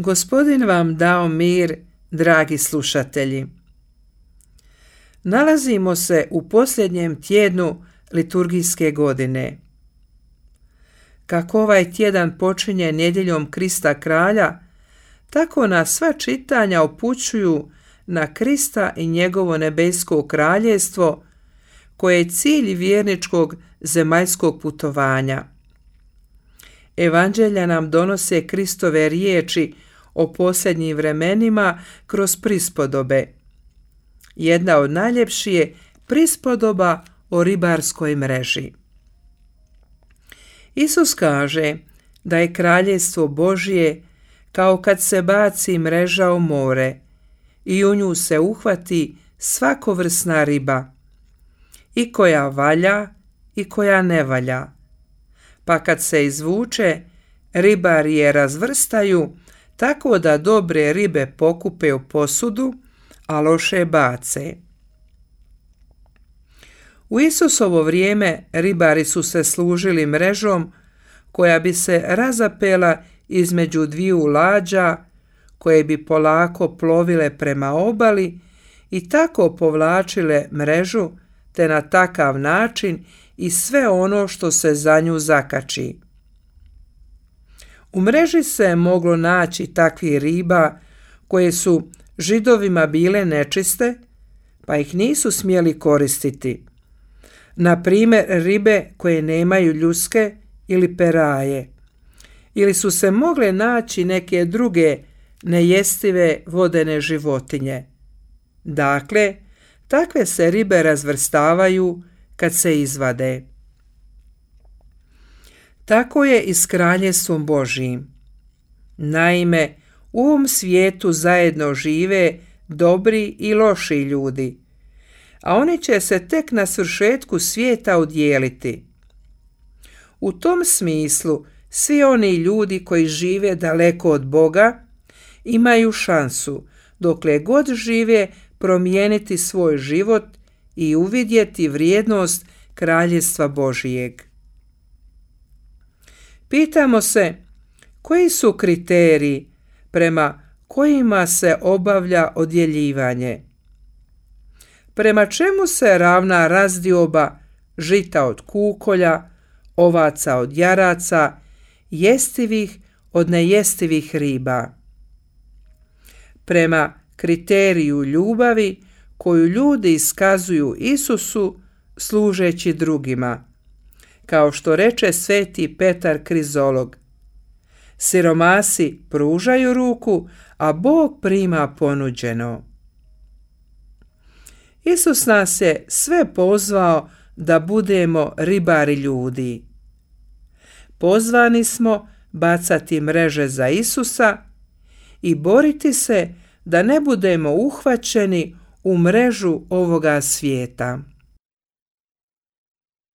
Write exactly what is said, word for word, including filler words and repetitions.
Gospodin vam dao mir, dragi slušatelji. Nalazimo se u posljednjem tjednu liturgijske godine. Kako ovaj tjedan počinje nedjeljom Krista kralja, tako nas sva čitanja upućuju na Krista i njegovo nebesko kraljevstvo, koje je cilj vjerničkog zemaljskog putovanja. Evanđelja nam donose Kristove riječi o posljednjim vremenima kroz prispodobe. Jedna od najljepših je prispodoba o ribarskoj mreži. Isus kaže da je kraljevstvo Božje kao kad se baci mreža u more i u nju se uhvati svakovrsna riba, i koja valja i koja ne valja. Pa kad se izvuče, ribari je razvrstaju tako da dobre ribe pokupe u posudu, a loše bace. U Isusovo vrijeme ribari su se služili mrežom koja bi se razapela između dviju lađa koje bi polako plovile prema obali i tako povlačile mrežu, te na takav način i sve ono što se za nju zakači. U mreži se moglo naći takvih riba koje su Židovima bile nečiste, pa ih nisu smjeli koristiti. Na primjer, ribe koje nemaju ljuske ili peraje. Ili su se mogle naći neke druge nejestive vodene životinje. Dakle, takve se ribe razvrstavaju kad se izvade. Tako je i s kraljevstvom Božjim. Naime, u ovom svijetu zajedno žive dobri i loši ljudi, a oni će se tek na svršetku svijeta udjeliti. U tom smislu, svi oni ljudi koji žive daleko od Boga imaju šansu, dokle god žive, promijeniti svoj život i uvidjeti vrijednost kraljevstva Božijeg. Pitamo se, koji su kriteriji prema kojima se obavlja odjeljivanje? Prema čemu se ravna razdioba žita od kukolja, ovaca od jaraca, jestivih od nejestivih riba? Prema kriteriju ljubavi koju ljudi iskazuju Isusu služeći drugima. Kao što reče sveti Petar Krizolog, siromasi pružaju ruku, a Bog prima ponuđeno. Isus nas je sve pozvao da budemo ribari ljudi. Pozvani smo bacati mreže za Isusa i boriti se da ne budemo uhvaćeni u mrežu ovoga svijeta.